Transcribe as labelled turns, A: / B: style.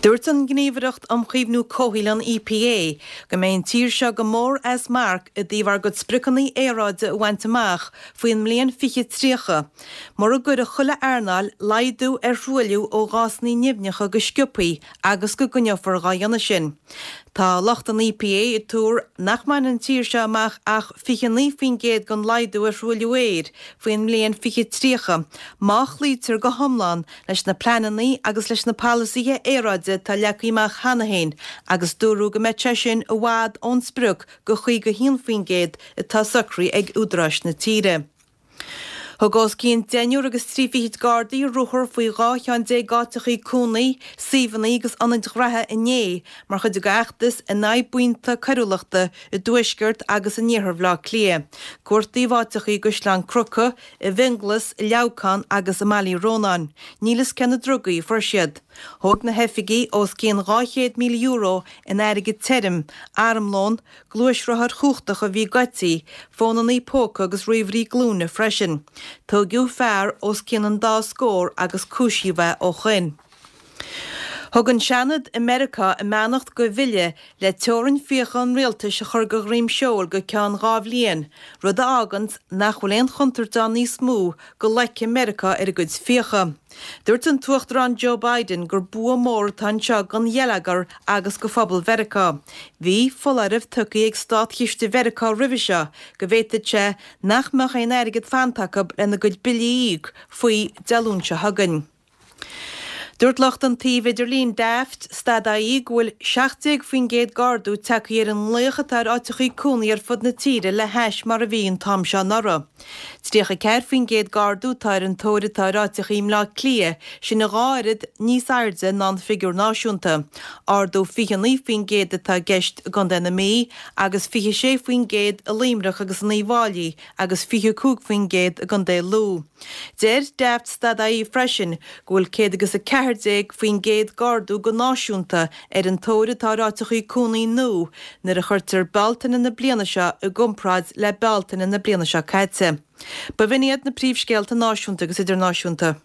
A: Dúirt an Ghníomhaireacht um Chaomhnú Comhshaoil, an EPA, go mbeidh an tír seo go mór as marc i dtaobh ár gcuid spriocanna aeráide a bhaint amach faoin mbliain 2030 mura gcuirfidh chuile earnáil laghdú ar thruailliú ó ghásanna nimhneacha go sciobthaí agus go gcoinneofar dhá dhéanamh sin. Tá lucht an EPA ag tuar nach mbainfidh an tír seo amach ach 29% den laghdú ar thruailliú aeir faoin mbliain 2030 má chloítear go hiomlán leis na pleananna agus leis na polasaithe aeráide atá leagtha amach cheana féin agus dúradh go mbeadh sé sin i bhfad ón sprioc de 51% atá socraithe ag údaráis na tíre. Thug os cionn deichniúr agus 30 Gardaí ruathar faoi 12 cheann d'áiteachaí cónaí, suíomhanna agus ionaid ghraithe inné mar chuid dá bhfeachtas in aghaidh buíonta coiriúlachta i dtuaisceart agus in iarthar Bhaile Átha Cliath. Cuartaíodh áiteachaí i gCaisleán Cnucha, i bhFionnghlas, i Leamhcán agus i mBaile Uí Rónáin. Níl fhios cé na drugaí a fuair siad. Thóg na hoifigigh os cionn €200,000 in airgead tirim, armlón, gluaisrothair chumhachtacha a bhí goidte, fónannaí póca agus ríomhairí glúine freisin. Tóigeadh fear os cionn an dá scór agus cúisíodh é ó shoin. Thug an Seanad i Meiriceá a mbeannacht go bhille le teorainn fiacha an rialtais a chur de dhroim seoil go ceann 2 bhliain, rud a fháganns nach bhfuil aon chontúirt ann níos mó go loicfidh Meiriceá ar a gcuid fiacha. Dúirt an tUachtarán Joe Biden gur bua mór atá anseo don gheilleagar agus go phobal Mheiriceá. Bhí foláireamh tugtha ag Státchiste Mheiriceá roimhe seo go bhféadfadh sé nach mbeadh aon airgead fanta acu lena gcuid billí a íoc faoi Dé Luain seo chugainn. Dúirt lucht an tsuímh idirlín Daft stad ie go bhfuil 17% d'ardú tagtha ar an nglaoch atá ar áiteachaí cónaí ar fud na tíre le hais mar a bhí an t-am seo anuraidh. 34% d'ardú atá ar an tóir atá ar áiteachaí i mBleá Cliath, sin a dhá oiread níos airde ná an figiúr náisiúnta. Ardú 29% atá i gceist i gContae na Mí agus 26% i Luimneach agus in Uíbh Fháilí agus 25% i gContae Lú. Deir Daft stad ie freisin go bhfuil 100 agus 14% d'ardú go náisiúnta ar an tóir atá ar áiteachaí cónaí nua nuair a chuirtear Bealtaine na bliana seo i gcomparáid le Bealtaine na bliana seo caite. B'in iad na príomhscéalta náisiúnta agus idirnáisiúnta.